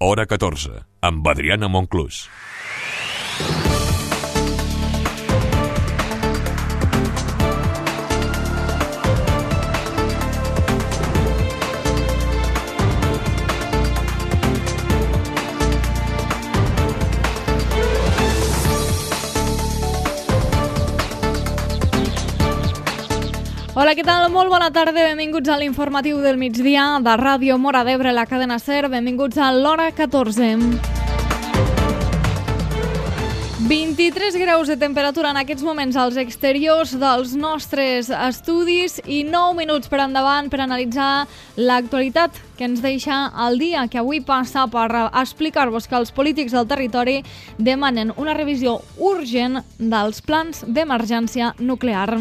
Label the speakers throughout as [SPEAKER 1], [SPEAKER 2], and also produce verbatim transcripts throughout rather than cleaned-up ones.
[SPEAKER 1] Hora catorze, amb Adriana Monclús.
[SPEAKER 2] Hola, què tal? Molt bona tarda, benvinguts a l'informatiu del migdia de Ràdio Móra d'Ebre, la cadena SER, benvinguts a l'Hora catorze. vint-i-tres graus de temperatura en aquests moments als exteriors dels nostres estudis i nou minuts per endavant per analitzar l'actualitat que ens deixa el dia que avui passa per explicar-vos que els polítics del territori demanen una revisió urgent dels plans d'emergència nuclear.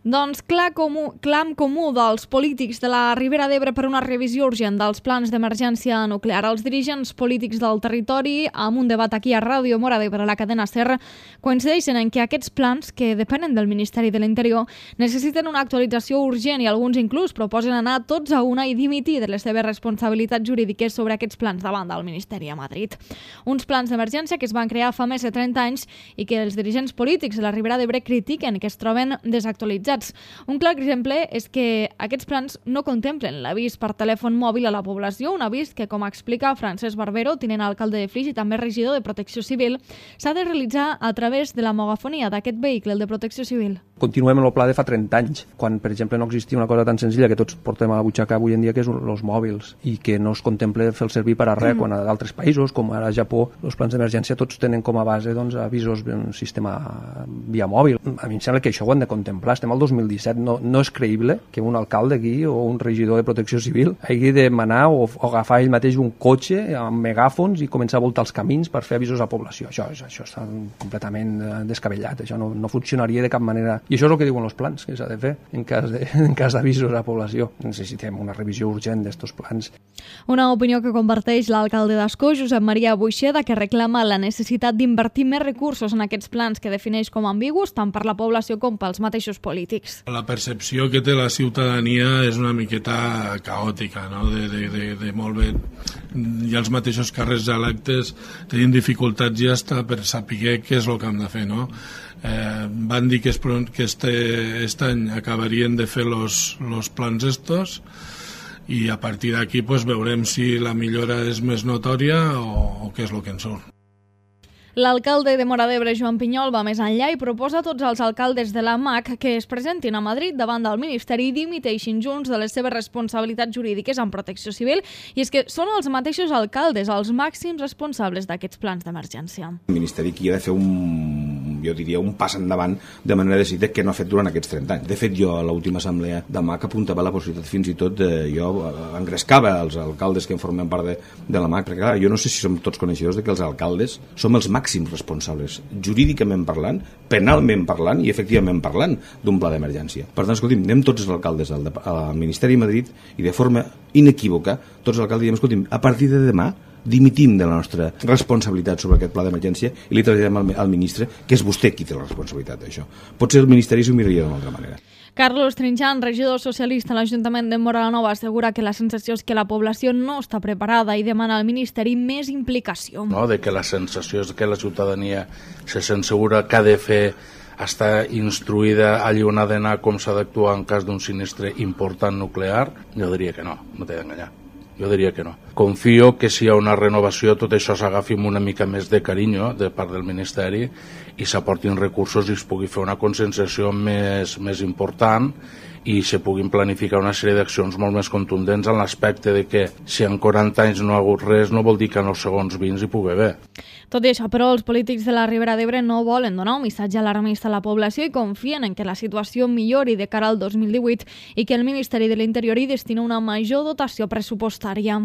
[SPEAKER 2] Doncs clar comú, clam comú dels polítics de la Ribera d'Ebre per una revisió urgent dels plans d'emergència nuclear. Els dirigents polítics del territori, amb un debat aquí a Ràdio Móra d'Ebre, a la cadena SER, coincideixen en que aquests plans, que depenen del Ministeri de l'Interior, necessiten una actualització urgent i alguns inclús proposen anar tots a una i dimitir de les seves responsabilitats jurídiques sobre aquests plans davant del Ministeri a Madrid. Uns plans d'emergència que es van crear fa més de trenta anys i que els dirigents polítics de la Ribera d'Ebre critiquen que es troben desactualitzats. Un clar exemple és que aquests plans no contemplen l'avís per telèfon mòbil a la població, un avís que, com explica Francesc Barbero, tinent alcalde de Flix i també regidor de Protecció Civil, s'ha de realitzar a través de la megafonia d'aquest vehicle, el de Protecció Civil.
[SPEAKER 3] Continuem amb el pla de fa trenta anys, quan, per exemple, no existia una cosa tan senzilla que tots portem a la butxaca avui en dia, que és els mòbils, i que no es contempla fer el servir per a res, mm. quan a d'altres països, com ara a Japó, els plans d'emergència tots tenen com a base doncs, avisos en sistema via mòbil. A mi em sembla que això ho han de contemplar. Estem al dos mil disset, no, no és creïble que un alcalde aquí o un regidor de Protecció Civil hagi de manar o, o agafar ell mateix un cotxe amb megàfons i començar a voltar els camins per fer avisos a la població. Això, això està completament descabellat, això no, no funcionaria de cap manera. I això és el que diuen els plans que s'ha de fer en cas de, en cas d'avisos a la població. Necessitem una revisió urgent d'estos plans.
[SPEAKER 2] Una opinió que comparteix l'alcalde d'Ascó, Josep Maria Buixeda, que reclama la necessitat d'invertir més recursos en aquests plans que defineix com ambigus tant per la població com pels mateixos polítics.
[SPEAKER 4] La percepció que té la ciutadania és una miqueta caòtica, no? de, de, de, de molt bé. I els mateixos càrrecs electes tenen dificultats ja està per saber què és el que han de fer, no? Eh, van dir que, es, que este, este any acabarien de fer los, los plans estos i a partir d'aquí pues, veurem si la millora és més notòria o, o què és el que en surt.
[SPEAKER 2] L'alcalde de Móra d'Ebre, Joan Pinyol, va més enllà i proposa a tots els alcaldes de la M A C que es presentin a Madrid davant del Ministeri i dimiteixin junts de les seves responsabilitats jurídiques en Protecció Civil. I és que són els mateixos alcaldes els màxims responsables d'aquests plans d'emergència.
[SPEAKER 5] El Ministeri aquí ha de fer un, jo diria, un pas endavant de manera decidida que no ha fet durant aquests trenta anys. De fet, jo a l'última assemblea de M A C apuntava la possibilitat fins i tot de, jo engrescava els alcaldes que en formen part de, de la M A C, perquè clar, jo no sé si som tots coneixedors de que els alcaldes som els màxims responsables, jurídicament parlant, penalment parlant i efectivament parlant d'un pla d'emergència. Per tant, escolti'm, anem tots els alcaldes al, al Ministeri de Madrid i de forma inequívoca, tots els alcaldes diem, escolti'm, a partir de demà dimitim de la nostra responsabilitat sobre aquest pla d'emergència i li traslladem al, al ministre que és vostè qui té la responsabilitat d'això. Potser el Ministeri s'ho miraria d'una altra manera.
[SPEAKER 2] Carlos Trinxant, regidor socialista a l'Ajuntament de Móra la Nova, assegura que la sensació és que la població no està preparada i demana al Ministeri més implicació.
[SPEAKER 6] No, de que la sensació és que la ciutadania se sent segura que ha de fer està instruïda allà on ha d'anar com s'ha d'actuar en cas d'un sinistre important nuclear. Jo diria que no, no t'he d'enganyar. Jo diria que no. Confio que si hi ha una renovació tot això s'agafi amb una mica més de carinyo de part del Ministeri i s'aportin recursos i es pugui fer una conscienciació més, més important i se puguin planificar una sèrie d'accions molt més contundents en l'aspecte de que si en quaranta anys no ha hagut res no vol dir que en els segons vint hi pugui haver.
[SPEAKER 2] Tot i això, però, els polítics de la Ribera d'Ebre no volen donar un missatge alarmista a la població i confien en que la situació millori de cara al dos mil divuit i que el Ministeri de l'Interior hi destina una major dotació pressupostària.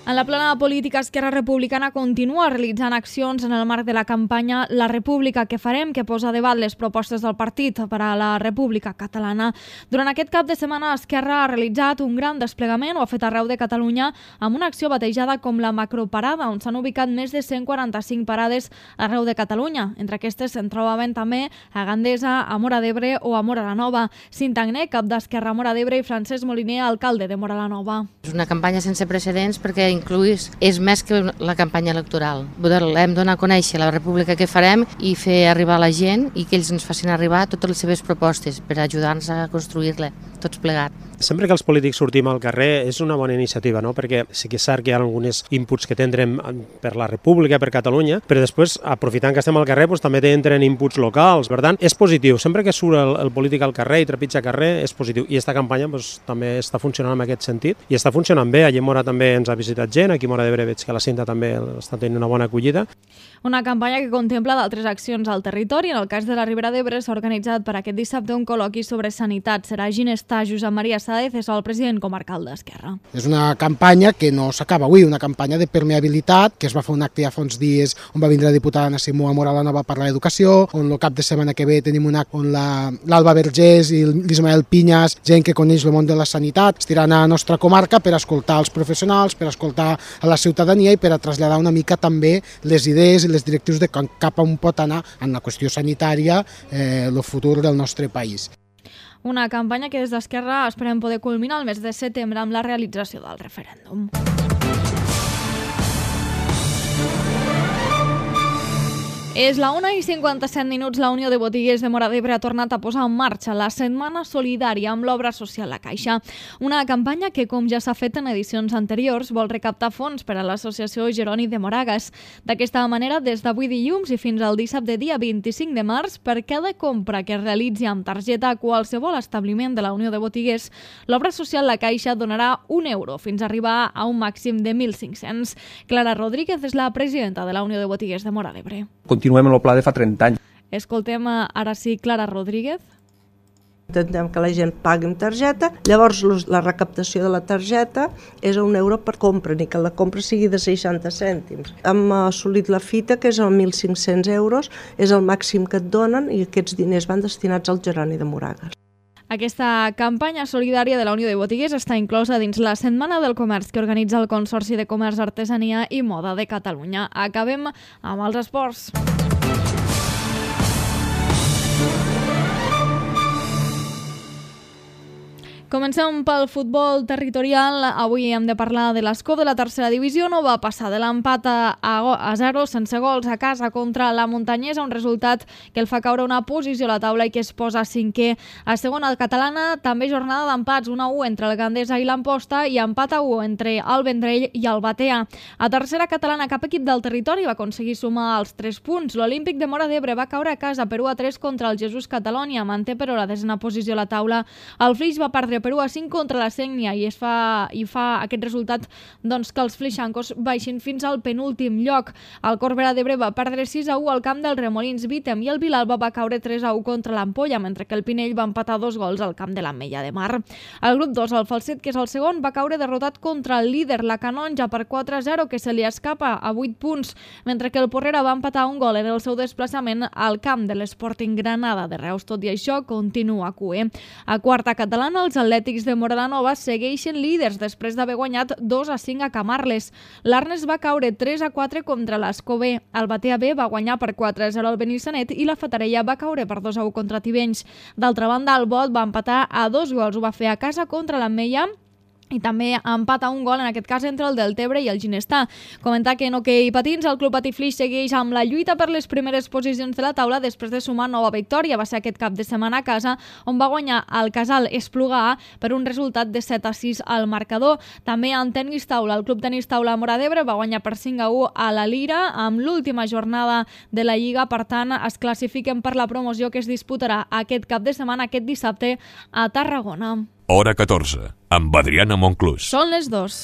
[SPEAKER 2] En En la plana política, Esquerra Republicana continua realitzant accions en el marc de la campanya La República que farem, que posa a debat les propostes del partit per a la República Catalana. Durant aquest cap de setmana, Esquerra ha realitzat un gran desplegament, ho ha fet arreu de Catalunya, amb una acció batejada com la Macroparada, on s'han ubicat més de cent quaranta-cinc parades arreu de Catalunya. Entre aquestes se'n trobaven també a Gandesa, a Móra d'Ebre o a Móra la Nova. Cinta Agné, cap d'Esquerra a Móra d'Ebre, i Francesc Moliner, alcalde de Móra la Nova.
[SPEAKER 7] És una campanya sense precedents perquè incluís, és més que la campanya electoral. Hem de donar a conèixer la República que farem i fer arribar a la gent i que ells ens facin arribar totes les seves propostes per ajudar-nos a construir-la, tots plegats.
[SPEAKER 8] Sempre que els polítics sortim al carrer és una bona iniciativa, no? Perquè sí que és cert que hi ha alguns inputs que tindrem per la República, per Catalunya, però després, aprofitant que estem al carrer, doncs, també tindrem inputs locals. Per tant, és positiu. Sempre que surt el, el polític al carrer i trepitja carrer, és positiu. I aquesta campanya doncs, també està funcionant en aquest sentit. I està funcionant bé. Allí a Móra també ens ha visitat gent, aquí a Móra d'Ebre veig que la Cinta també està tenint una bona acollida.
[SPEAKER 2] Una campanya que contempla d'altres accions al territori. En el cas de la Ribera d'Ebre s'ha organitzat per aquest dissabte un col·loqui sobre sanitat. Serà Ginestà Josep Maria Sáez, és el president comarcal d'Esquerra.
[SPEAKER 9] És una campanya que no s'acaba avui, una campanya de permeabilitat, que es va fer un acte ja fa uns dies on va vindre la diputada Anna Simó a Móra la Nova a parlar d'educació, on el cap de setmana que ve tenim un acte on l'Alba Vergés i l'Ismael Pinyas, gent que coneix el món de la sanitat, estiran a la nostra comarca per escoltar els professionals, per escoltar a la ciutadania i per a traslladar una mica també les idees i les directrius de cap a on pot anar en la qüestió sanitària eh, el futur del nostre país.
[SPEAKER 2] Una campanya que des d'Esquerra esperem poder culminar el mes de setembre amb la realització del referèndum. És la una i cinquanta-set minuts. La Unió de Botiguers de Móra d'Ebre ha tornat a posar en marxa la Setmana Solidària amb l'Obra Social La Caixa. Una campanya que, com ja s'ha fet en edicions anteriors, vol recaptar fons per a l'Associació Jeroni de Moragas. D'aquesta manera, des d'avui dilluns i fins al dissabte dia vint-i-cinc de març, per cada compra que es realitzi amb targeta a qualsevol establiment de la Unió de Botiguers, l'Obra Social La Caixa donarà un euro fins a arribar a un màxim de mil cinc-cents. Clara Rodríguez és la presidenta de la Unió de Botiguers de Móra d'Ebre.
[SPEAKER 3] Continuem en el pla de fa trenta anys.
[SPEAKER 2] Escoltem ara sí Clara Rodríguez.
[SPEAKER 10] Intentem que la gent pagui amb targeta, llavors la recaptació de la targeta és a un euro per compra, ni que la compra sigui de seixanta cèntims. Hem assolit la fita, que és a mil cinc-cents euros, és el màxim que et donen i aquests diners van destinats al Jeroni de Moragas.
[SPEAKER 2] Aquesta campanya solidària de la Unió de Botiguers està inclosa dins la Setmana del Comerç que organitza el Consorci de Comerç, Artesania i Moda de Catalunya. Acabem amb els esports. Comencem pel futbol territorial. Avui hem de parlar de l'Escó de la tercera divisió. No va passar de l'empat a zero sense gols a casa contra la Muntanyesa, un resultat que el fa caure una posició a la taula i que es posa cinquè. A segona catalana també jornada d'empats, un a u entre el Gandesa i l'Amposta i empat a u entre el Vendrell i el Batea. A tercera catalana cap equip del territori va aconseguir sumar els tres punts. L'Olímpic de Móra d'Ebre va caure a casa per u a tres contra el Jesús Catalonia, manté però la desena posició a la taula. El Flix va perdre per u a cinc contra la Sénia i, es fa, i fa aquest resultat doncs, que els flixancos baixin fins al penúltim lloc. El Corbera d'Ebre va perdre sis a u al camp del Remolins Vítem i el Vilalba va caure tres a u contra l'Ampolla, mentre que el Pinell va empatar dos gols al camp de l'Ametlla de Mar. El grup dos, el Falset, que és el segon, va caure derrotat contra el líder, la Canonja, per quatre a zero, que se li escapa a vuit punts, mentre que el Porrera va empatar un gol en el seu desplaçament al camp de l'Sporting Granada de Reus. Tot i això, continua Q E. A quarta catalana, els Atlètics de Móra la Nova segueixen líders després d'haver guanyat dos a cinc a Camarles. L'Arnes va caure tres a quatre contra l'Escó B. El Batea B va guanyar per quatre a zero al Benissanet i la Fatarella va caure per dos a u contra Tivenys. D'altra banda, el Bot va empatar a dos gols. Ho va fer a casa contra l'Ametlla i també empat a un gol, en aquest cas entre el Deltebre i el Ginestà. Comentar que en hoquei patins el Club Patiflix segueix amb la lluita per les primeres posicions de la taula després de sumar nova victòria. Va ser aquest cap de setmana a casa, on va guanyar el Casal Espluga A per un resultat de set a sis al marcador. També en tenis taula, el Club Tenis Taula a Móra d'Ebre va guanyar per cinc a u a la Lira amb l'última jornada de la Lliga. Per tant, es classifiquen per la promoció que es disputarà aquest cap de setmana, aquest dissabte, a Tarragona.
[SPEAKER 1] Hora catorze, amb Adriana Monclús.
[SPEAKER 2] Són les dos.